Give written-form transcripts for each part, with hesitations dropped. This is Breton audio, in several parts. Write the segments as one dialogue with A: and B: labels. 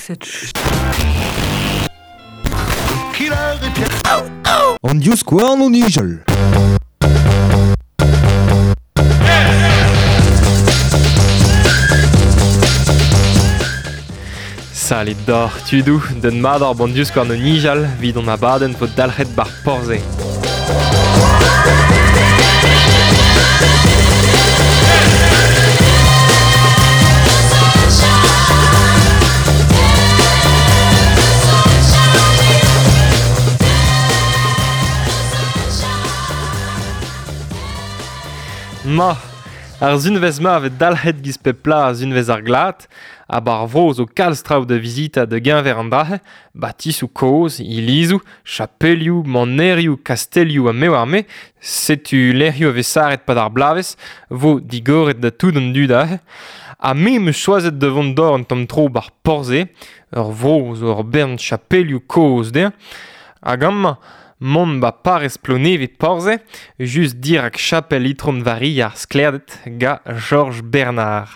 A: Cette
B: An divskouarn o nijal.
C: Salut doc'h tudoù, den mat ar bon divskouarn o nijal 'vit an abadenn 'vo dalc'het 'bar Porzhe. Ma, ar sunvezh-mañ a vez dalc'het giz pep plas sunvezh ar glad, ha 'bar vro zo kalz traoù da vizitañ da geñver an dra-se, batisoù kozh, ilizoù, chapelioù, manerioù, kastelioù ha me oar me, setu lec'hioù a vez saret 'pad ar bloavezh, 'vo digoret da tout an dud aze. Ha me 'm eus choazet da vont d'ober un tamm tro 'bar Porzhe, ur vro zo ur bern chapelioù kozh dezhañ. Hag amañ, mont 'ba parrez Plonevez-Porzhe, just dirak chapel Itron Varia ar Sklaerded ga Jorj Bernard.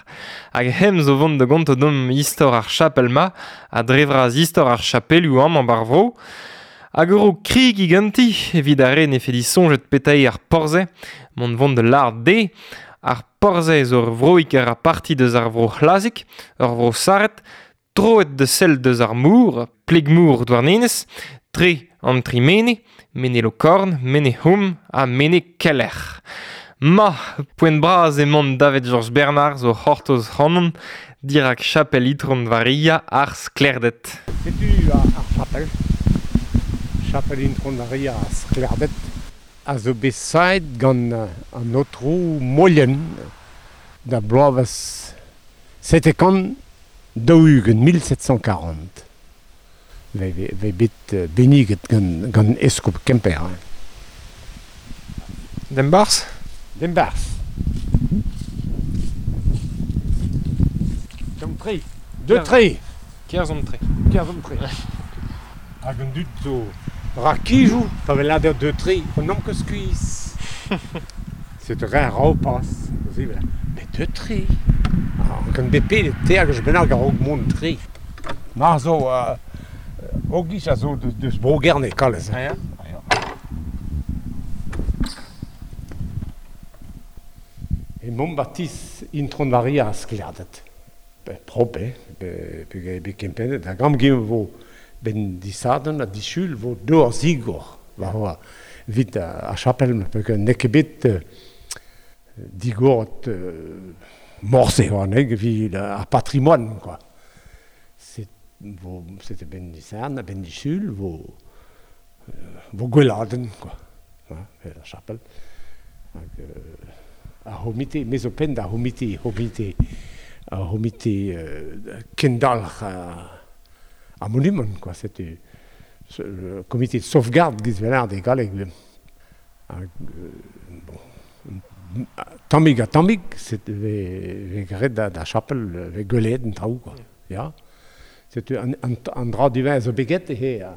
C: Hag hem zo vont da gontañ deomp istor ar chapel-mañ ha dre vras istor ar chapelioù amañ 'bar vro. Hag ur raok kregiñ ganti evit ar re 'nefe disoñjet petra eo ar Porzhe, mont vont da lâret dezhe. Ar Porzhe zo ur vroig a ra parti deus ar vro C'hlazig, ur vro sarret, troet da sell deus ar mor, pleg-mor Douarnenez, tre an tri mene, Mene Lokorn, Mene C'houm ha Mene Keller. Ma, poent bras emaon davet Jorj Bernard zo c'hortoz c'hanon dirak chapel Itron Varia ar Sklaerded.
D: Setu ar chapel, chapel Itron Varia ar Sklaerded, a zo bet savet gant an aotrou Mollien da bloavezh 740, 1740. Vez bet benniget gant, gant eskob Kemper. Hein.
C: Dembarzh?
D: Dembarzh. Deomp tre. Deux tre.
C: Kerzhomp tre.
D: Kerzhomp tre. Hag an dud zo rakijoù pa vez lâret deux tre, on n'omp ket skuizh. C'est un repas, Mais deux tre. Gant bepred teir gwech bennak a-raok mont tre. Mar zo Ogis a zo deus Bro-Gerne kalz.
C: Ah ya?
D: Emaomp 'ba Intron Varia ar Sklaerded. Prop eo, bet kempennet. Hag amgin 'vo 'benn disadorn ha disul 'vo dor zigor war evit ar chapel peogwir n'eo ket bet digoret morse war evit ar patrimoine quoi. C'était 'benn disadorn ha 'benn disul 'vo vo gweladenn quoi, ar chapel. Hag ar c'homite, me zo penn d'ar c'homite, c'homite, ar c'homite kendalc'h ar monumant quoi, setu le comité de sauvegarde giz 'vel e galleg. Hag bon, tammig ha tammig vez graet d'ar chapel, vez gwelet an traoù quoi, ya. Setu an, an, an dra diwezhañ zo bet get eo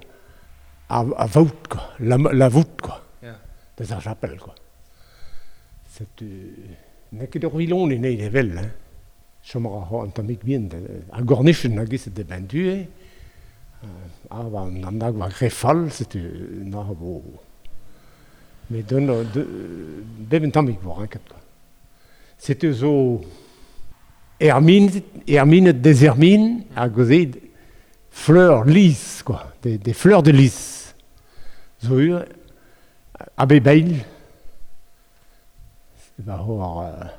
D: ar vaout quoi, la, la voûte quoi,
C: yeah.
D: deus ar chapel quoi. Setu n'eo ket ur vilon eo evel, hein. Chom a ra an tammig bihan, ar gornichenn a giz de ben du eo. Ah, ba, an nag war re fall, setu na vo. Met d'un bep un tammig vo ranket quoi. Setu zo erminet, erminet des hermines hag o fleurs lys quoi, des, des fleurs de lys. Zo ur a bep eil. Va c'hoar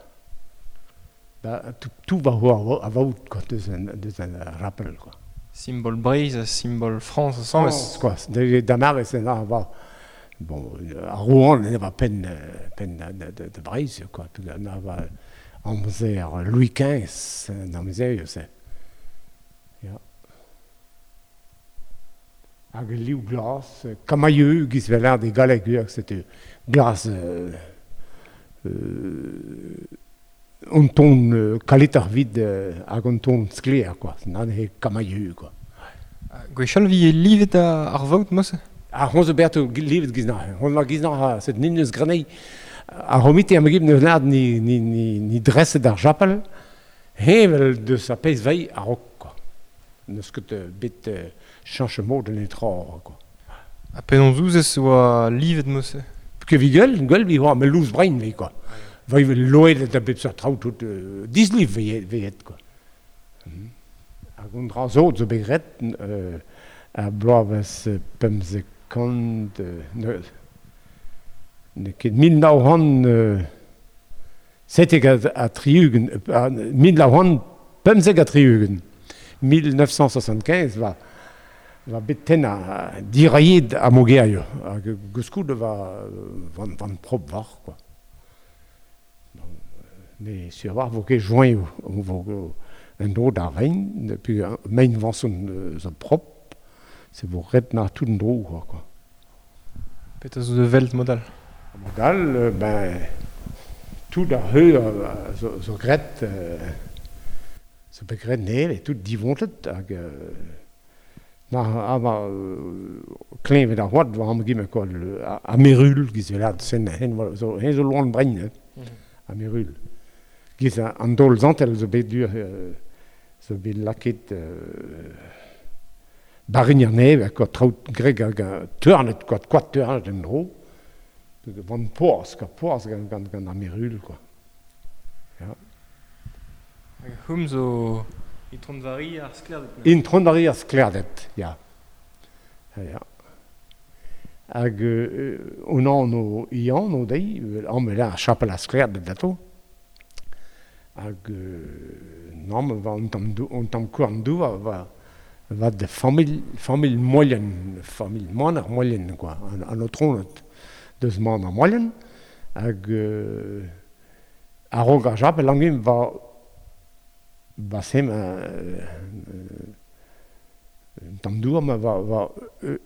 D: ba, tout, tout va c'hoar a vaout quoi, deus an, deus an rappel quoi.
C: Simbol Breizh ha simbol Frañs ensemble.
D: France quoi, da mare c'est là va bon ar Rouen ne va penn penn de, de Breizh quoi, na va amzer Louis XV, an amzer se. Ya. Hag liv glas, camaïeu giz vel de galleg setu glas un ton kalet vid hag un ton sklaer quoi, nan he camaïeu quoi.
C: Gwechall vi livet ar vaout mosse?
D: Ar hon zo berto livet giz na. Hon la giz na set nin eus grenei. Ar c'homite am gib neus lad ni, ni, ni, ni dreset ar chapel, hevel deus ar pezh vei a-raok quoi. N'eus ket bet cheñch mod en etra, quoi.
C: Ha penaos ouzez oa livet mod-se?
D: Ket vi gwell, gwell vi oa, met lous brein vi, quoi. Va ivez loedet da bep seurt traoù tout disliv veet, quoi. Hag un dra zo zo bet graet ar bloavezh 50 n'eo ket 1977 1975 1975 va va bet tennañ dirailhet ar mogerioù hag gouskoude va van van prop war quoi. Mais sur war vo ket joaioù vo un dro d'ar vein puis mein vanson zo prop se vo ret na tout an dro quoi.
C: Petra zo de welt modal?
D: Modal, ben tout ar heu zo, zo graet zo bet graet nevez, tout divontet hag na ama kleñved ar c'hoad war am gimmet quoi, ar merul giz lad sen hen zo hen zo loan brein hein, ar merul. Giz an daol zantel zo bet dur zo bet lakaet barign ar nevez quoi, traoù greg hag teurnet quoi, koad teurnet en-dro. Van poazh, quoi, poazh gant, gant, gant ar merul quoi. Ja.
C: Hag hum zo Itron Vari ar Sklerded.
D: Itron Vari ar Sklerded, ya. Ja. Hag on anv Ian o deiz, amañ ar chapel ar Sklerded ato. Hag namm va un tamm un tamm kouarn douar va va de familh familh Moilhen, familh Maner Moilhen quoi, an, an aotroned deus Maner Moilhen. Hag a-raok ar chapel angin va va sem un tamm douar ma va va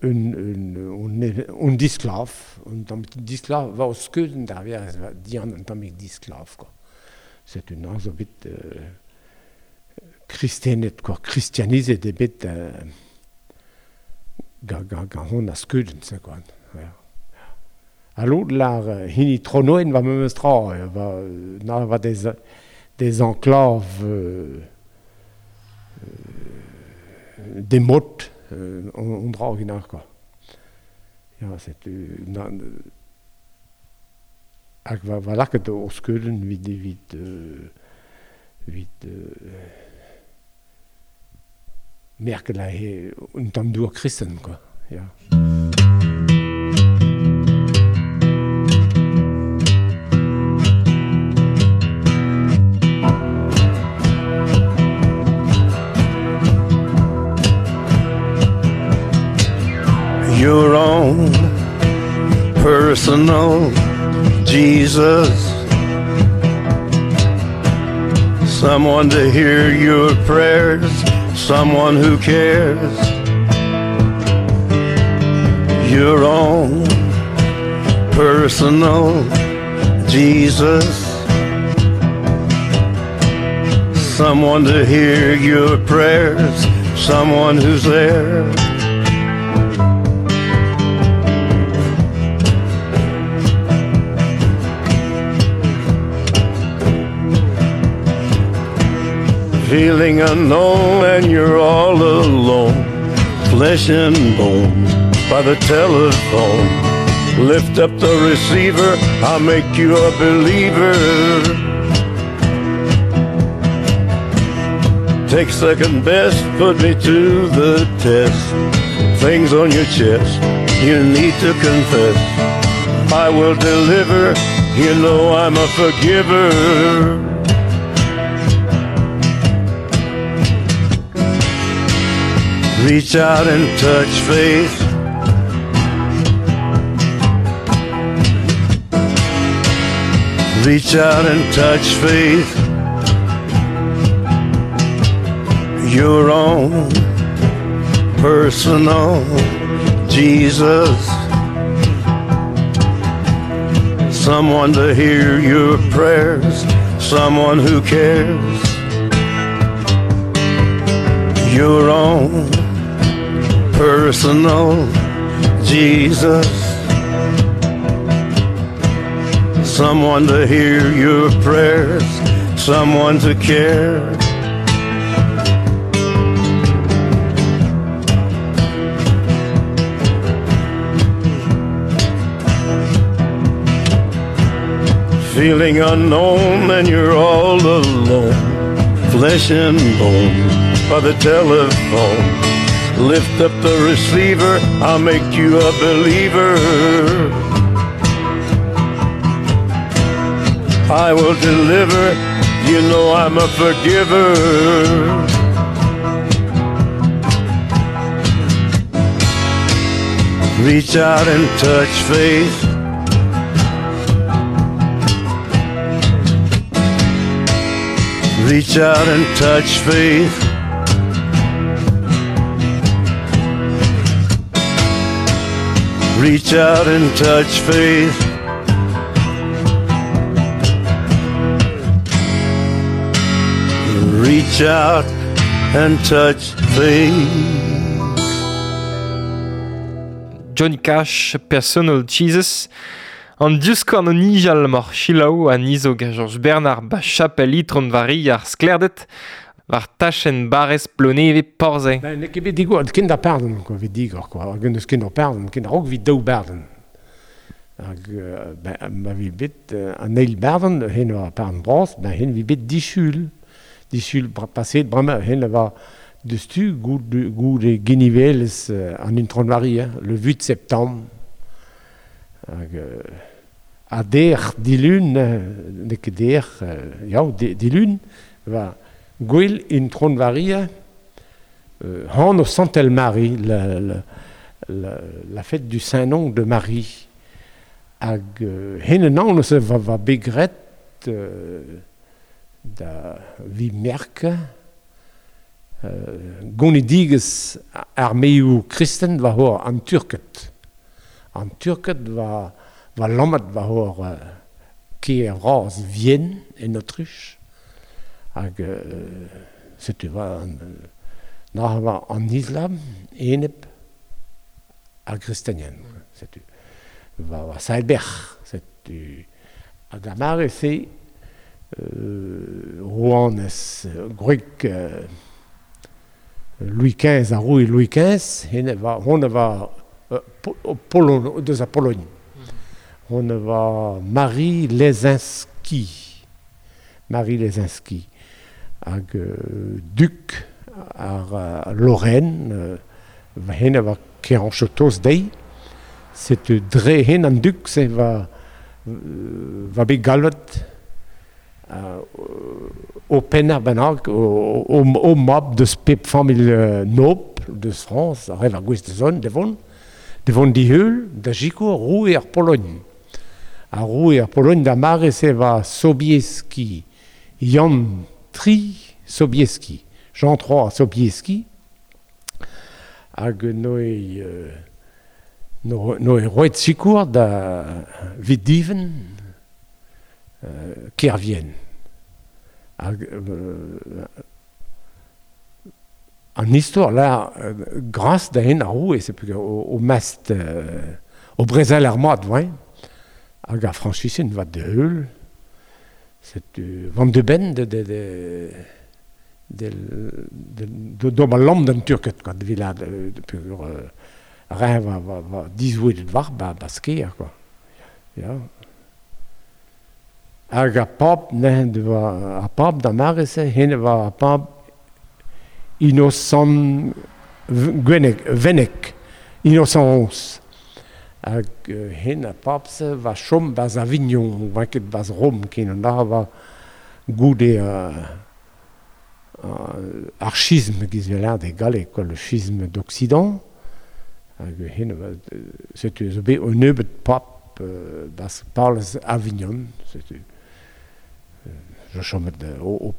D: un un un disklav, un tamm disklav va o skeudenn d'ar werz va dian un tammig disklav quoi. C'est un an zo bet kristenet quoi, christianizet eo bet ga ga ga hon a skeudenn se quoi. Ja. Ha l'autre lar hini Tronoen va memes tra va na va des des enclaves des mottes on dra original quoi. Ja, c'est na hag va va lakaet o skeudenn evit evit evit merkel a he un tamm dour kristen quoi. Ja.
A: Your own personal Jesus, someone to hear your prayers, someone who cares. Your own personal Jesus, someone to hear your prayers, someone who's there. Feeling unknown and you're all alone, flesh and bone by the telephone. Lift up the receiver, I'll make you a believer. Take second best, put me to the test. Things on your chest, you need to confess. I will deliver, you know I'm a forgiver. Reach out and touch faith. Reach out and touch faith. Your own personal Jesus. Someone to hear your prayers, someone who cares. Your own personal Jesus. Someone to hear your prayers, someone to care. Feeling unknown and you're all alone, flesh and bone by the telephone. Lift up the receiver, I'll make you a believer. I will deliver, you know I'm a forgiver. Reach out and touch faith. Reach out and touch faith. Reach out and touch faith. Reach out and touch faith.
C: Johnny Cash, Personal Jesus. An diouskouarn o nijal mor chilaou a nizo ga Georges Bernard ba chapel itron vari ar sklerdet war tachenn barrez Ploneve Porzay.
D: Ben, n'eo ket bet digor, ken da pardon, quoi, vet digor, quoi. Hag eus ken da pardon, ken raok vit daou barden. Hag, ben, ma vi bet an eil barden, hen war pardon bras, ben hen vi bet disul. Disul paset, bremañ, hen va deus-tu goude genivelez an Intron Vari, hein, le 8 septembre. Hag a der dilun, n'eo ket der, ya, dilun, va gwell Intron Varia, han o Santel Marie, la fête du Saint-Nom de Marie. Hag hen an eus va begret da vi merke gonidigez armeoù kristen va hor an Turket. An Turket va lammat va hor kêr vras Vienne en Autriche. Hag setu va na va an Islam enep ar gristenien. Setu va Sailberg. Setu hag ar mare se rouanez gwreg Louis XV, ar roue Louis XV, hen va hon va Pologne, deus a Pologne. On va Marie Lesinski. Marie Lesinski. Hag duc ar Lorraine, hen va keranchotos dei. Setu dre hen an duc, se va bet galvet o penner bennak, o mab deus pep familh nob deus France, ar rev ar gwez de zon, devon diheul da jikour roue ar Pologne. Ar roue ar Pologne da mare se va Sobieski, Jan III Sobieski, Jean III Sobieski, hag noe roet sikour da vid diven Kervien. Hag an istor là, grâce da hen ar roue, c'est plus au mast, au brezel ar mat, ouais. Hag ar Frañsisen va de heul, c'est van de ben de de ma lamm d'an Turket, quoi, de vila de pur rein va dizouet war ba sker, quoi. Ja. Hag ar pab, ne, va ar pab da mare se, hen va ar pab Innocent Venec, Innocent XI. Hag hen ar pab se va chom baz Avignon, va ket baz Rom, ken an da va goude ar schisme giz vel de galleg, quoi, le schisme d'Occident. Hag hen va, setu zo bet un nebeud pab baz Palez Avignon, setu je chomet o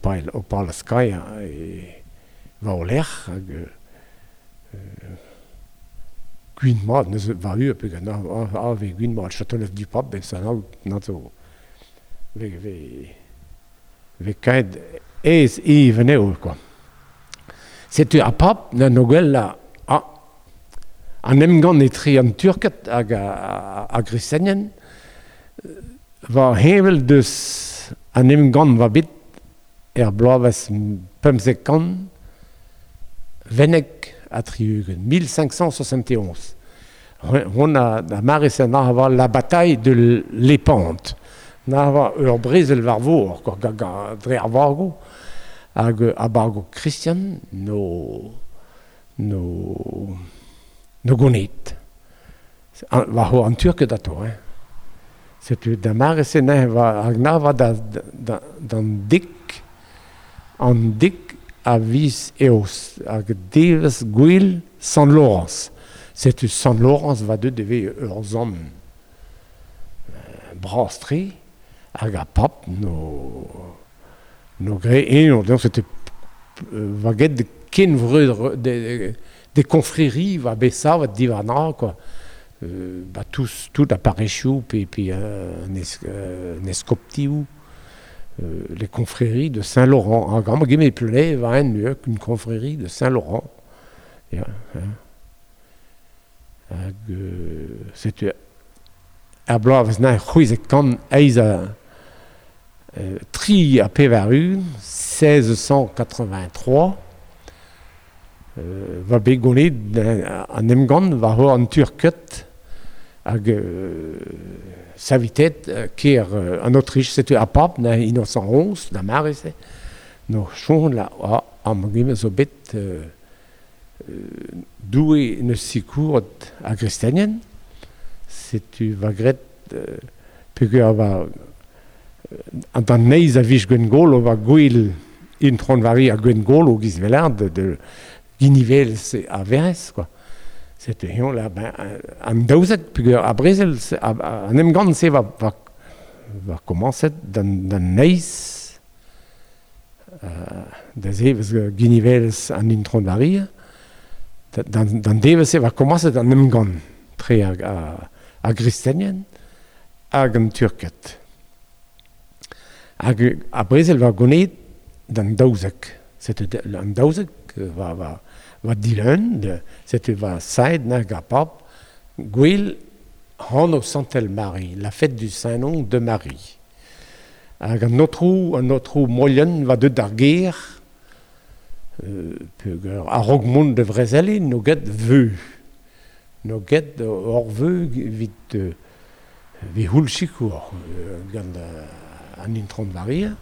D: Palez Kaia e va o lec'h hag gwin mat, neus va ur pe gant a ve gwin mat, Châteauneuf du Pape, ben sa na zo ve kaet ez even eo, quoi. Setu ar pab na no gwell a an emgann etre an Turket hag a gristenien va heñvel deus an emgann va bet er bloavezh pemzek kant Veneg a tri-ugent, 1571. Hon a mare se na va la bataille de Lépante. Na va ur brezel war vor, quoi, dre ar vargo, hag a bargo Christian no gonet. Va ho an Turk dato, hein. Setu da mare se ne va hag na va da d'an dik an dik a viz eos hag devez gwil Sant Laurence. Setu Sant Laurence va deut deve ur zon brastre hag a pap no gre eno, donc c'était va get de ken vreud de confréries va besa va divarna quoi. Bah tous tout appareillou puis un escoptiou les confréries de Saint-Laurent en grand guillemets play va un une confrérie de Saint-Laurent. Ja, hag setu ar bloavezh na c'hwezek kant eizh a tri a pevar ugent 1683 va bet gonet an emgann war ho an Turket hag savitet ker an Autriche setu ar pap na Innocent XI da mare se no chon la am gime zo bet doue neus sikouret a gristenien setu va gret peogwir va an d'an neiz a vij Gwengolo va gwil intron vari a Gwengolo giz velar de Ginivel a verez quoi. Setu hion la ben an daouzek peogwir a brezel an emgann se va komañset d'an neiz da zevez Ginivel an intron vari d'an devez se va komañset an emgann tre a gristenien hag an Turket. Hag a brezel va gonet d'an daouzek. Setu an daouzek va dileun, setu va saet nag ar pap, gwel hano Santel Marie, la fête du Saint-Nom de Marie. Hag an otrou moien va deut d'ar ger, peogwir a-raok mont de vrezele no get veu. No get ur veu evit houl sikour gant an intron varia.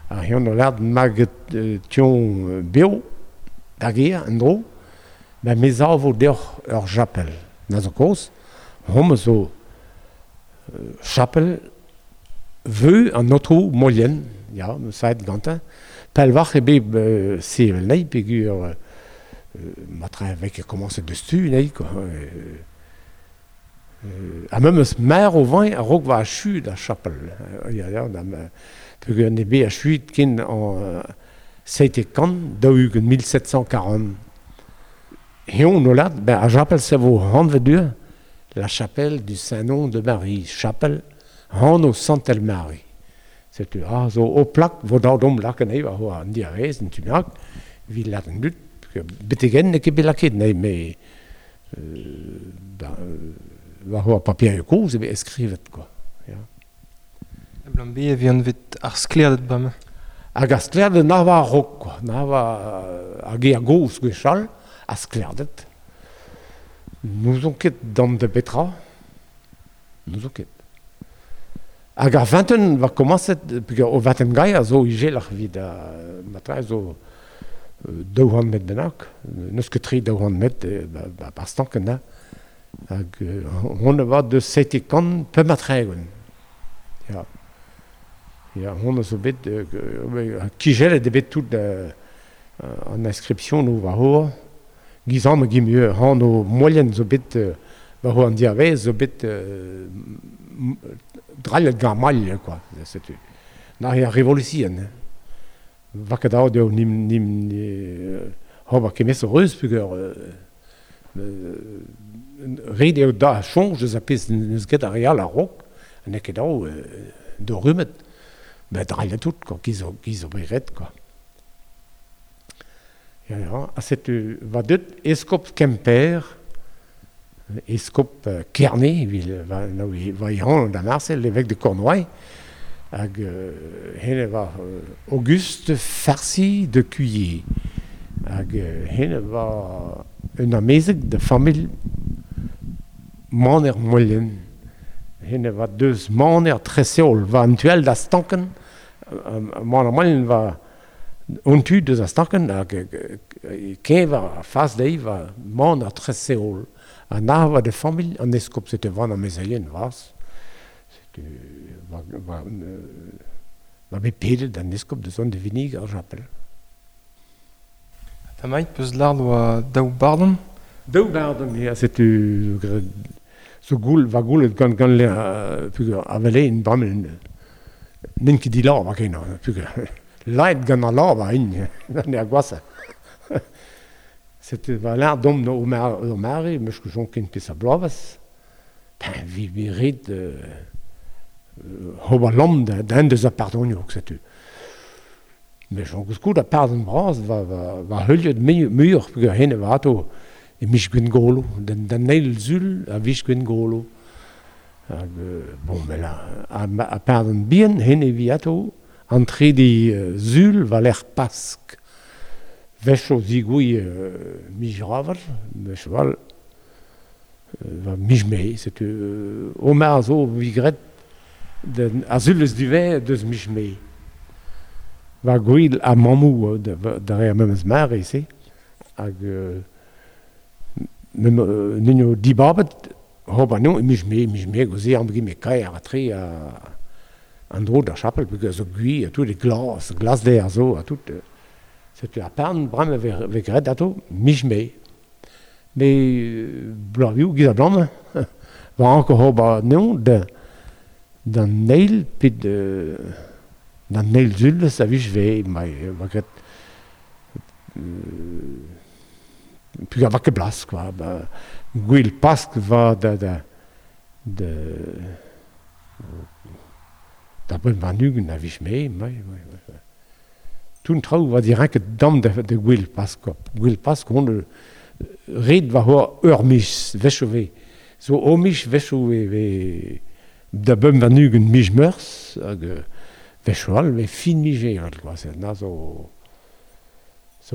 D: Ar hion o lard maget tion beo da ger an dro, ben mez a vo deoc'h ur chapel. Na zo koz, hom zo chapel veu an otrou moien, ya, saet gantañ, pelvac'h e bet sevel nei, peogwir matre vek e komañset deus tu nei, quoi. Ha memes mer o vain a-raok va achu da chapel. Ya, ya, da peogwir ne bet achuit ken an seite kant, daou-ugent 1740. Heon o lad, ben a chapel se vo hanvet dur, la chapelle du Saint-Nom de Marie, chapel hano Santel Marie. Setu ah, zo o plak, vo daou dom lak anezhi, war ho an diavez, an tunak, vil lad an dud, betegen n'eo ket bet laket, nei, me war ho ar papier kozh e bet eskrivet, quoi. Ja.
C: Blam be e vihan vet ar sklerded bremañ.
D: Hag ar sklerded na va a-raok, quoi. Na va hag eo gozh gwechall, ar sklerded. N'ouzon ket d'an de betra. N'ouzon ket. Hag ar vingten va komañset, peogwir o vingten gai a zo ijelac'h evit matre zo daou c'hant metr bennak. N'eus ket tre daou c'hant metr ba stankenn, ha. Hag hon a va deus seite kant pemp ha tregont. Ya. Ya, hon a zo bet kijellet eo bet tout an inscription no war ho. Giz am gi mieux han o moien zo bet war ho an diavez zo bet drallet gant mail, quoi. Setu. Na ar revolution. Va ket aod eo nim ho va kemez reuz peogwir ret eo da soñj deus ar pezh n'eus ket ar re all a-raok, n'eo ket dav d'o rummet. Ben drallet tout, quoi, giz zo bet ret, quoi. Ya, ya, ha setu va deut eskob Kemper, eskob Kerne, va i han da Marcel, l'évêque de Cornouailles, hag hen va Auguste Farcy de Cuillé, hag hen va un amezeg de familh Maner Moien. Henne va deus maner treseol va an tuel da stanken, man amalen va on tu deus a stanken, hag keñver a fas dezhi va maner treseol. Ha na va de familh an eskob, setu van amezeien vras. Setu va bet pedet an eskob deus an de vinig ar japel.
C: Tamaït peus lard oa daou bardon?
D: Daou bardon, ya, setu zo goul, va goulet gant gant le pugur avelein bramel n'int ket dilav a ken, pugur laet gant an lav a in, gant ar gwasa. Setu va lard dom no o mare, meus ket jon ken pes a bloavas, ben vi vi ret hob a lamm da en deus a pardonioù, setu. Mais j'en koulskoulde a pardon bras va heuliet muioc'h peogwir hen e va ato e miz Gwengolo, d'an eil sul a viz Gwengolo. Hag bon, mais là, a pardon bihan hen e vi ato an trede sul war-lerc'h Pask. Wech o zigouilh miz Raval, wech all va miz Mae, setu Omar zo vi graet ar sul eus divez deus miz Mae. Va gwil a mammou da re ar memes mare se, hag n'eo dibabet hob anezho e miz Mae, miz Mae goze am me kaer a tre an dro d'ar chapel, peogwir zo gwir, tout e glas, glasder zo, ha tout. Setu ar pern bremañ ve graet ato miz Mae. Mais bloavioù giz a blam, va anko hob anezho d'an eil pe d'an eil sul a vij ve, mai va graet pugur va ket blas, quoi. Ba, gwil Pask va da da bemp warn-ugent a vij Mae, mai, mai, mai. Tout traoù va direnket dam da gwil Pask, quoi. Gwil Pask on ret va ho ur miz wechoù ve. Zo o miz wechoù ve da bemp warn-ugent miz Meurzh, hag wechoù all ve fin miz Ebrel, quoi. Se na zo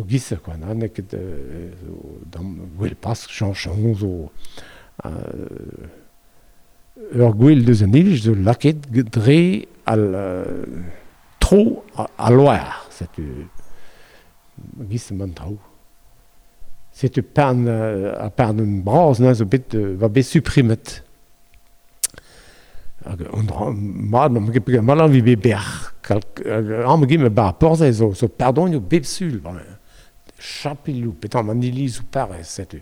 D: gisse, quoi. Na n'eo ket zo dam gwel Pask, chañchañ zo ur gwel deus an iliz zo lakaet dre al tro a loar, setu gisse man traoù. Setu pern a pern bras na zo bet va bet supprimet. Hag an dra mat n'am ket peogwir malan vi bet berr. Am gim bar porzhe zo pardonioù bep sul, chapelioù, petra an ilizoù parrez, setu.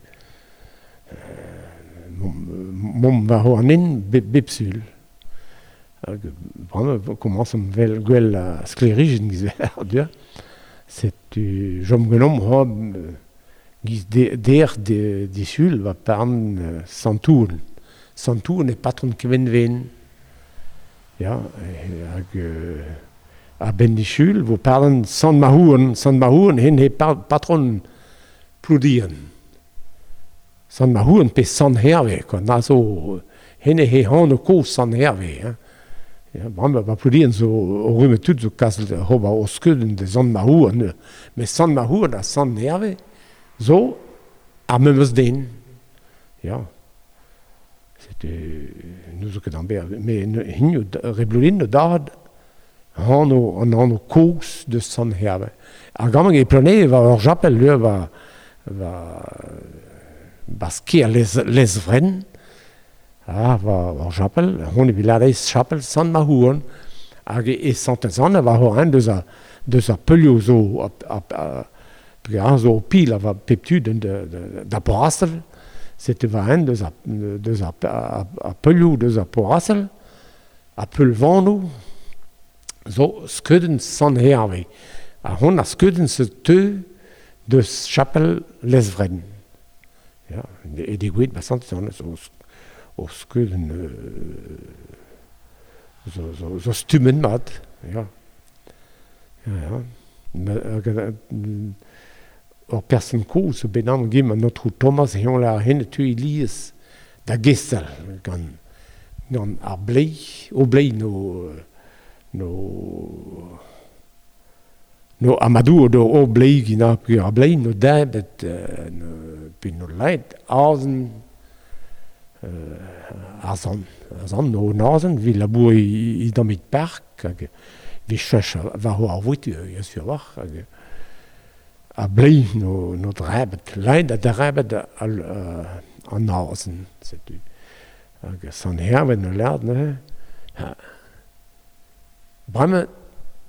D: Mom va ho an en bep sul. Hag bremañ komañsomp vel gwell a sklêrijenn giz vel, setu jom genomp ho giz der disul va parn Santoun. Santoun e patron Kevenven. Ya, hag a ben disul vo parn Sant Mahouen, Sant Mahouen hen he patron Ploudian. Sant Mahouen pe Sant Herve, quoi. Na zo hen he hano kozh Sant Herve, hein. Ya, bremañ va Ploudian zo o rume tout zo kas hoba o skeudenn de Sant Mahouen, mais Sant Mahouen ha Sant Herve zo ar memes den. Ya. Setu nous zo ket an ber, mais hinio reblolin dad hano an hano kozh de Sant Herve. Ar gamañ e Plone va ur japel leu va sker lesvren. Ah, va ur japel, hon e viladez chapel Sant Mahouen. Hag e Sant-Anne va ho an deus a peulioù zo a zo pil a va pep tu da Porastel. Setu va en deus a peulioù deus a Porastel, a peulvanoù zo skeudenn Sant Herve. Ha hon a skeudenn se teu deus chapel Lesvren. Ya, e degouezhet ba Sant-Anne zo o skeudenn zo stummen mat. Ya. Ya, ya. Ur person kozh zo bet am gim an aotrou Thomas heon la hen tu iliz da gestel gant ar blei, o blei no amadou do o blei gina peogwir ar blei no debet pe no laet azen ar zan. Zan o nazen, vi labour i dammit park, hag vi chech war ar voitur, ya sur war, hag a blei no drebet, leid a drebet an nazen, setu. Hag san herven no lerd, ne. Ha. Bremañ,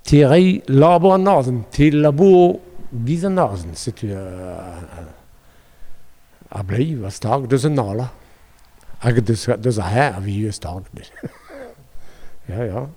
D: te rei labour an nazen, te labour giz an nazen, setu a blei va stag deus an ala. Hag deus a her a vi stag. Ja, ja.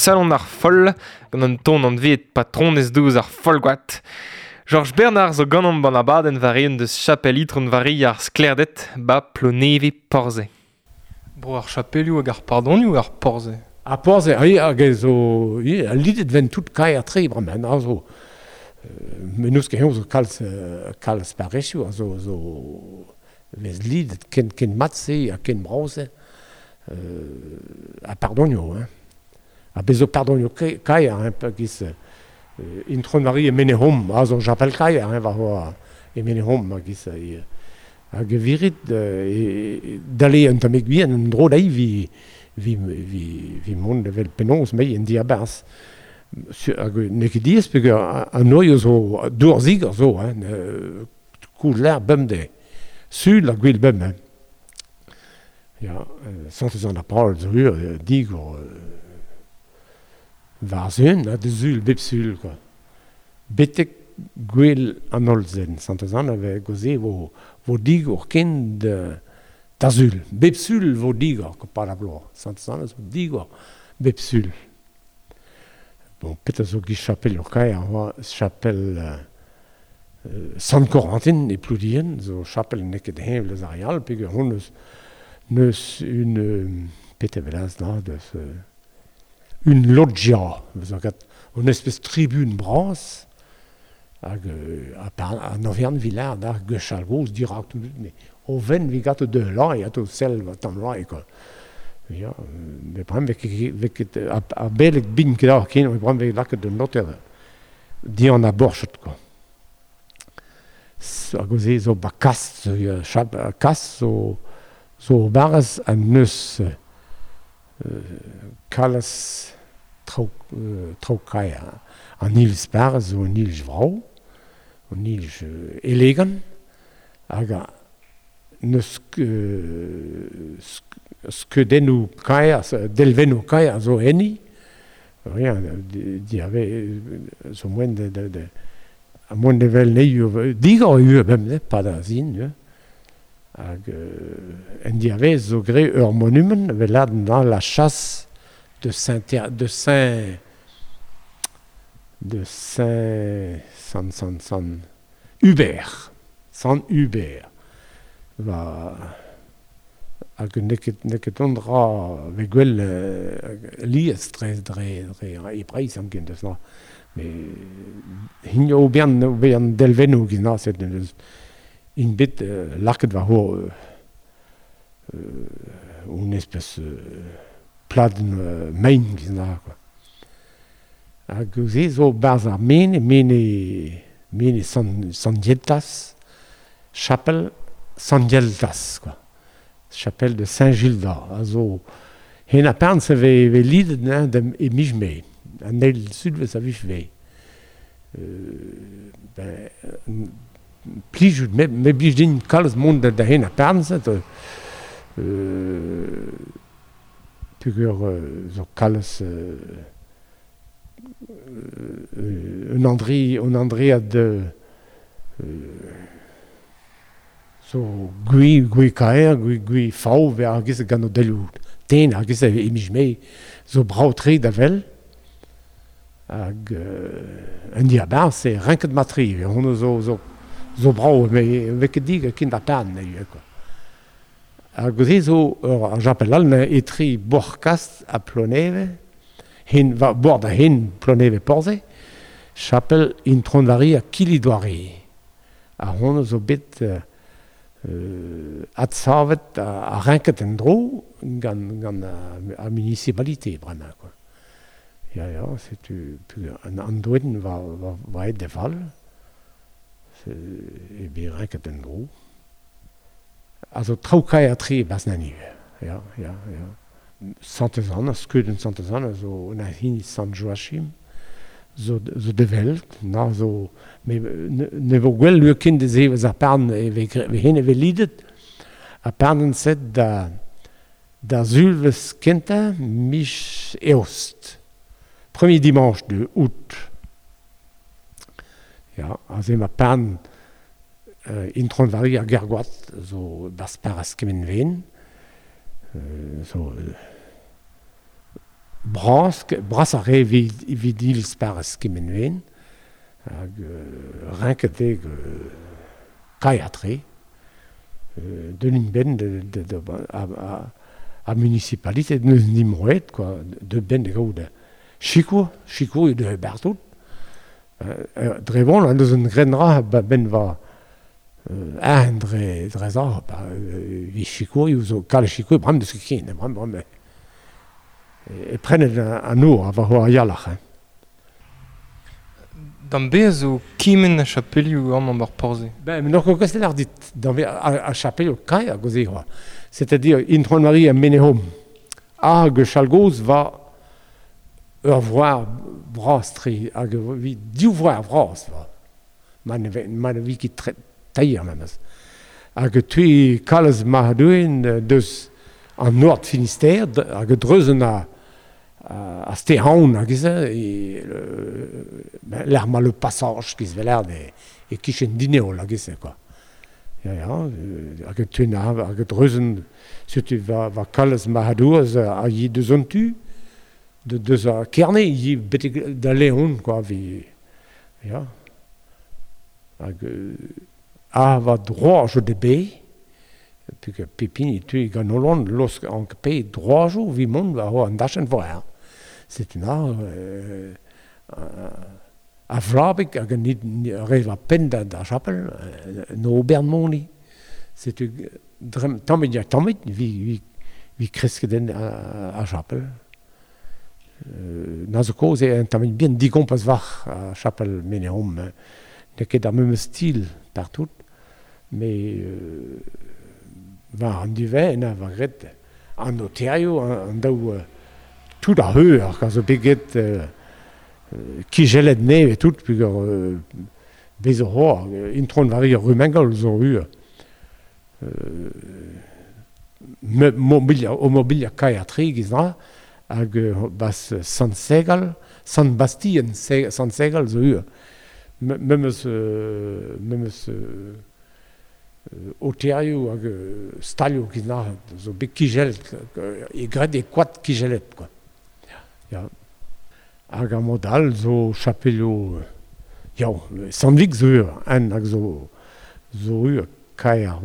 C: Salon ar foll, gant an ton an vet patronez douz ar follgoat. Georges Bernard zo gant an ban abadenn war eeun deus chapel itron vari ar sklerdet ba Ploneve Porze. Bro ar chapelioù hag ar pardonioù ar Porze.
D: Ar Porze, oui, hag zo, oui, a lidet ven tout kai ar tre bremañ, a zo, menous ket zo kalz parrezioù, a zo vez lidet ken mat-se ha ken brav-se, a pardonioù, hein. A bezo pardonioù kaer, hein, giz Intron Marie e Menehom, a zo chapel kaer, hein, war hoa e Menehom, giz hag virit dale un tammig bihan un dro dai vi mont evel penaos mei en diabarzh. Hag n'eo ket diaes peogwir an noioù zo dour zigor zo, hein, koulz lec'h bemdez. Sul ha gwell bemdez, hein. Ya, Santez Anna Paol zo ur digor war zun, ha de sul, bep sul, quoi. Betek gwell an holl zen. Santez Anna ve goze vo digor ken da sul. Bep sul vo digor, ko pa la bloaz. Santez Anna zo digor bep sul. Bon, petra zo giz chapel ur kaer, oa chapel Sant Corentin e Ploudien, zo chapel n'eo ket heñvel eus ar real, peogwir hon neus un petra velaz na deus une loggia, zo gat un espèce tribune bras hag an overn vilar d'ar gwechall goz dirak tout mais o ven vi gat de lan e ato sel va tamm lan e quoi. Ja, me brem vek ket a beleg bin ket ar ken, me brem vek lakaet d'un noter di an a borchet quoi. Hag o se zo ba kas, zo chap kas zo barrez an neus kalz traoù kaer. An iliz barrez zo un iliz vrav, un iliz elegant, hag neus skeudennoù kaer, delvennoù kaer zo enni. Rien, diave zo moen de a moen de vel neioù digor eo bemdez, pa da zin, hag en diavez zo gre ur monument vel dans la chasse de Saint de Saint de Saint San San San Hubert, San Hubert. Va hag neket on dra ve gwell lies dre e Breizh am ken deus na. Me hin o bern delvennoù giz na set deus in bet laket war ho un espèce pladenn mein giz na quoi. Hag se zo barzh ar mene Sant Gildas, chapel Sant Gildas quoi. Chapelle de Saint-Gildas. A zo hen a perns e ve lidet hein, e mij me. An eil sudvez a vich ve. Ben, plijout, me blij din kalz mont da hen a perns. Pugur zo kalz un André de zo gui kaer, gui fau, ve ar giz gant o delioù ten, ar giz e mij me, zo brao tre da vel, hag un diabarz e renket matri, ve hon zo brao, me ket dig a kin da pan, quoi. Hag se zo ur ar japel all etri borkast a Ploneve, hen, va bord a hen Ploneve Porze, chapel Intron-Vari a Kilidoare. A hon zo bet adsavet a renket en dro gant a municipalité bremañ quoi. Ja, setu an andoen va aet de val e bet renket en dro. A zo traoù kaer tre bas na nive. Ja. Santez-Anna, skeudenn Santez-Anna zo na hini Sant Joachim zo develt, na zo me ne vo gwell lur kind de zevez ar parn e ve hen e ve lidet a parnen set da zulvez kenta mich eost. Premier dimanche de août. Ja, a ze ma parn Intron-Vari ar Gergoat zo bas paras kemen ven. Zo bras a re vid ils paras kemen ven. Hag renket eo kaiatre d'un ben de a municipalité neus nimroet quoi de ben de gaout chikour de bertout dre bon an deus un grenra ben va an dre za vi chikour zo kal chikour bram deus ket bram e prenet an our a va ho ar yalc'h hein.
C: D'an bez zo kimen a chapelioù amañ bar Porze.
D: Ben, n'oc'h ket kostet ar dit, d'an bez a chapelioù kaer a goze oa. C'est-à-dire, Intron-Marie a Menehom. Hag chalgoz va ur voar bras tre, hag vi div voar vras va. Ma ne vi ket tailher memes. Hag tui kalz mahadouen deus an Nord Finistère, hag dreuzen a Stehaun hag ez e l'er ma le passage giz veler e kichen dineol hag ez quoi. Ja, hag tuen hag dreuzen setu va kalz mahadouz a yi deus an tu de deus a Kerne yi betek da Leon quoi vi ja. Hag a va droit de be puisque Pepin tu gant Hollande losk an pe droajoù vi mont va ho an dachenn voer. C'est un art a vlabik hag an re va penn da chapel no bern moni. C'est drem tammit ya tammit vi kresket en a chapel. Na zo koz e un tammit bien digompas var a chapel Menehom. Ne ket ar memes stil partout, mais war an duvet na va gret an notario an daou tout ar heur quand zo bet kijellet neve tout pugur bez o hor Intron Vari ar Rumengol zo ur mobilia o mobilia kaer tre giz na hag bas Sant Segal Sant Bastien Sant Segal zo ur memes oterioù hag stalioù giz na zo bet kijellet e gret e koad kijellet quoi. Ja. Hag ar mod all zo chapelioù ya Sant Vig zo ur en hag zo ur kaer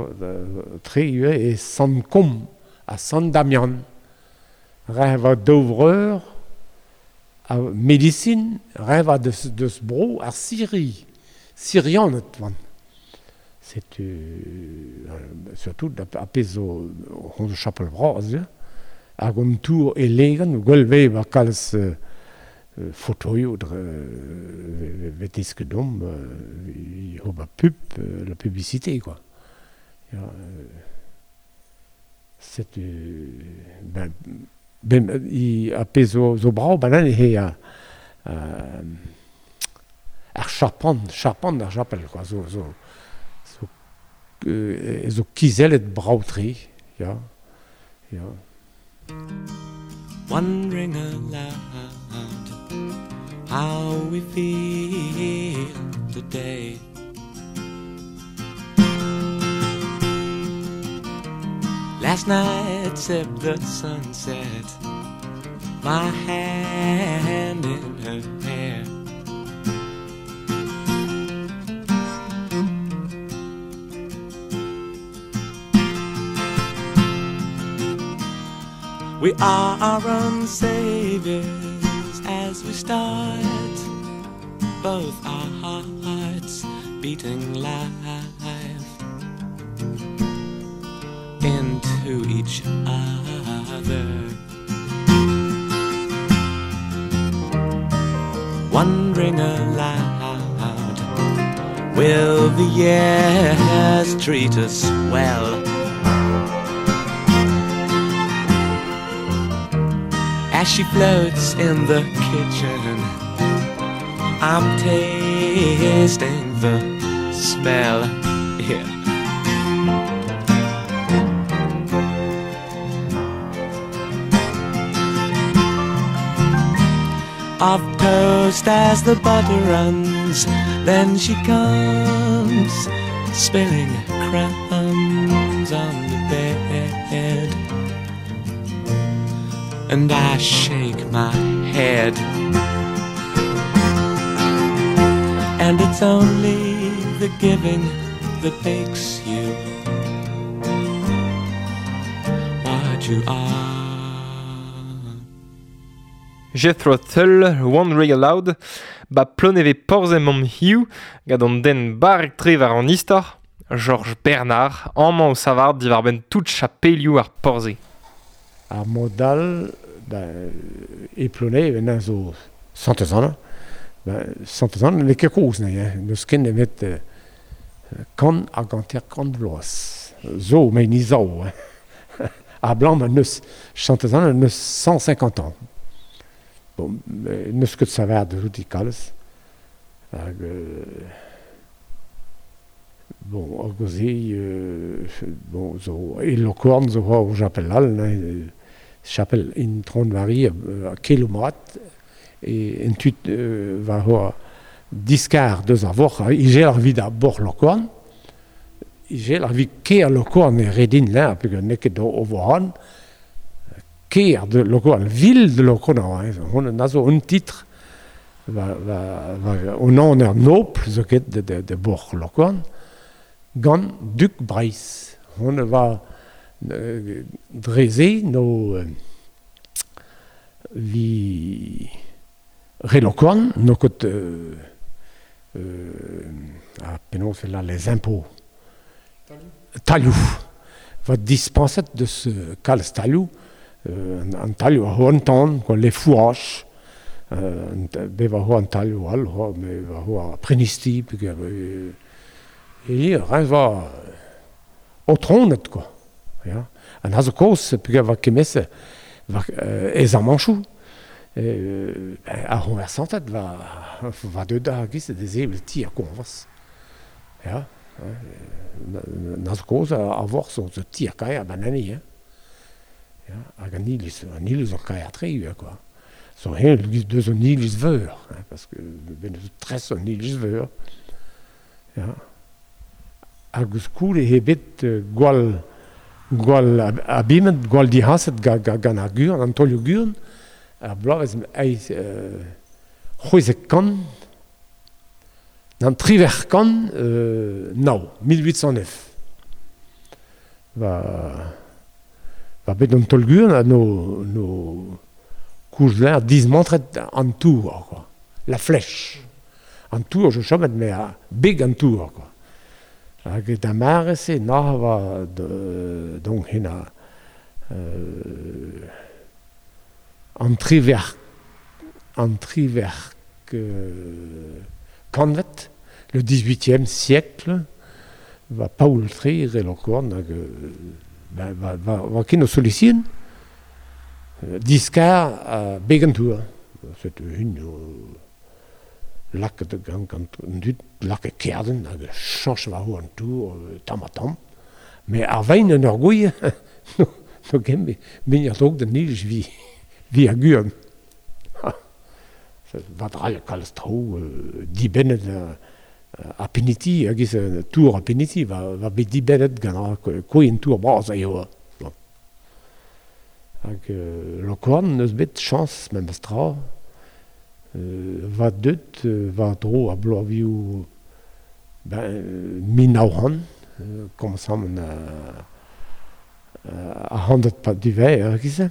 D: tre ivez e Sant-Kom ha Sant-Damian. Re va daou vreur a medisin, re va deus bro ar Siri, Sirianed van. Setu surtout a pezh zo hon zo chapel bras, ya. Hag an tour elegan, gwell vez ba kalz fotoioù dre vet dom ober pub, la publicité quoi. Ya, setu ben ben i a pezh zo brav banan he a ar charpant ar chapel quoi, zo zo zo zo kizellet brav-tre, ya, ya.
E: Wondering aloud how we feel today. Last night sipped the sunset, my hand in her hair. We are our own saviors as we start, both our hearts beating live into each other. Wondering aloud, will the years treat us well? As she floats in the kitchen, I'm tasting the smell. Yeah. Of toast as the butter runs, then she comes, spilling crumbs on the bed. And I shake my head. And it's only the giving that makes you what you are.
C: Jethro Tull, Wondering Aloud, ba ploneve porzem am hiu, gant an den barrek tre war an istor, Georges Bernard, amañ o savard diwar benn tout chapelioù ar porze.
D: Ar modal, ben, e Ploneve, ben, zo Santez-Anna. Ben, Santez-Anna n'eo ket kozh ne, hein. N'eus ken nemet kant hag hanter-kant vloaz. Zo, met ni zaou, hein. A blanc, ben, neus Santez-Anna neus 150 ans. Bon, n'eus ket savard de tout kalz. Hag, bon, hag oze, bon, zo, e Lokorn zo o chapel all, hein, chapel in Tron-Vari, a kelomat, e en tud va hoa diskar deus ar vor, igel ar vid a bor Lokorn, igel ar vid ker Lokorn e redin la, peogwir n'eo ket o voran, ker de Lokorn, ville de Lokorn, hein, hon a zo un titre, va, va, va, on an er nobl zo ket de bor Lokorn, gant Duk Breizh. Hon va dreze no vi re Lokorn, no ket a penaos là les impôts. Talioù. Va dispenset deus kalz talioù, an talioù a ho an tan, quoi, les fourrages, be va ho an talioù all, ho, me va ho a prenisti, peogwir e ren va o tronet, quoi. Ya. An a zo kozh, peogwir va kemese, va ez ar manchoù, ar c'honversanted va deut ar giz de zevel ti ar konvers. Ya. Na zo kozh a vor zo ti ar kaer banani, hein. Ya. Hag an iliz ar kaer tre ivez, quoi. Zo hen deus an iliz veur, hein, parce que ben eus tres an iliz veur. Ya. Hag eus koul e bet gwall abimet, gwall dihaset gant ar gurn, an tolioù gurn, ar bloavezh eiz c'hwezek kant, nan triwec'h kant, nao, 1809. Va va bet an tolguan ha no no koulz lâr dismantret an tour quoi. La flèche. An tour zo chomet met a beg an tour quoi. Hag da mare-se nac'h va donc hen a an trivec'h an trivec'h kantved, le 18e siècle, va Paol Tre re Lokorn hag va, va, va ken o solisien diskar a beg an tour. Setu hun lakaet gant gant an dud lakaet kerden hag chañch war an tour tamm ha tamm. Met ar vein en ur gouilh no, no ken min ar drog da nij vi vi ar guan. Va drailh kalz traoù dibennet a peniti, hag ez tour a peniti, va, va bet dibennet gant ar kouen tour bras a eo. Bon. Hag Lokorn n'eus bet chañs memes tra. Va deut war-dro ar bloavioù ben 1900, komañsamant ar c'hantved pad divez, er giz-se.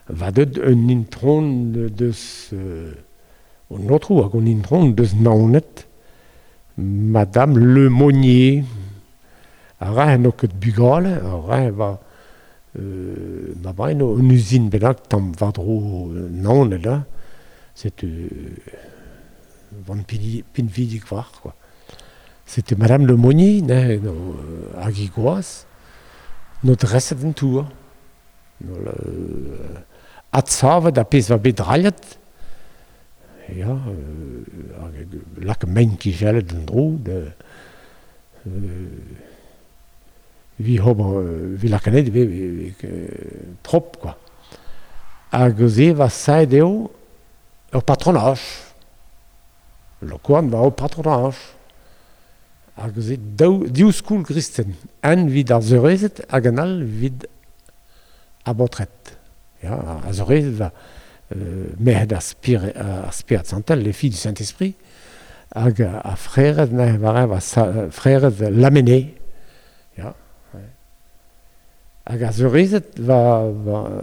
D: Va deut un intron deus an aotrou hag an intron deus Naoned, Madame Le Monnier. Ar re n'o ket bugale, ar re va ma baeno un uzin bennak tamm war-dro Naoned, hein. Setu van pinvidik war, quoi. Setu Madame Le Monnier, ne, no, hag he gwaz, no dreset an tour. No, adsavet ar pezh va bet drailhet. Ya, hag lak mein kijellet en dro, de, vi ober, vi lakanet ve, prop, quoi. Hag se va saet eo ur patronaj. Lokoan va ur patronaj. Hag se daou, div skoul gristen. Un vid ar seurezed hag an all vid ar baotred. Ya, ar seurezed va merc'hed ar spir, ar Spered Santel, les filles du Saint-Esprit, hag ar frered, ne, war va frered Lamennais. Ya, Hag ar seurezed va, va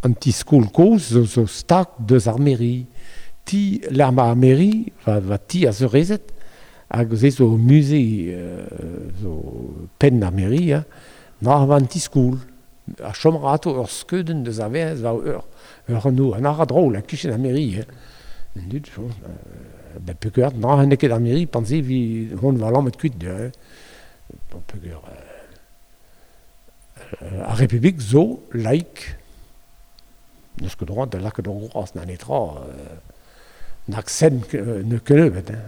D: an ti-skol kozh zo, zo stag deus ar mairie. Ti lec'h ma ar mairie, va, va ti ar seurezed, hag se zo musée zo penn ar mairie, hein. Nac'h va an ti-skol. Ha chom a ra atao ur skeudenn deus ar Werc'hez war ur ur anv, an ara drol, e-kichen ar mairie, hein. An dud, ben peogwir nac'h n'eo ket ar mairie pan se vi hon va lammet kuit, hein. Bon, peogwir ar Republik zo laik. N'eus ket droad da lakaat ur groaz na netra. Nag sen ne kennebeut, hein.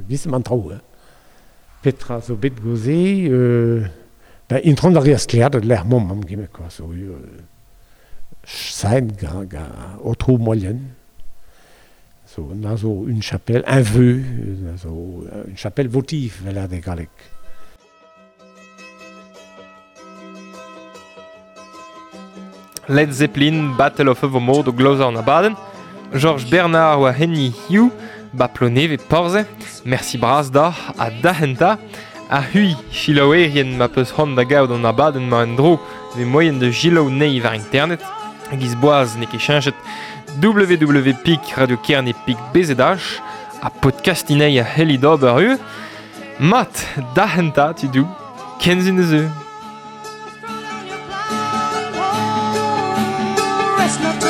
D: Giz emañ an traoù, hein. Petra zo bet gouze ben intron a reas sklaer da lec'h mamm mamm gemet quoi, zo saet gant gant aotrou Moyen. Zo na zo une chapelle, un vœu, na zo une chapelle votive, vel ar galleg.
C: Led Zeppelin, Battle of Evermore o glozañ an abadenn. Georges Bernard oa heni hiziv, ba Plonevez Porzhe. Mersi bras deoc'h ha dac'hentañ. Ha c'hwi, selaouerien ma peus c'hoant da gaout an abadenn-mañ en-dro, vez moaien da selaou anezhi war internet. Giz boaz n'eo ket cheñchet www.radiokerne.bzh ha podcastiñ a c'hellit ober ivez. Mat, dac'hentañ tudoù, kenzin eus
E: Rest not.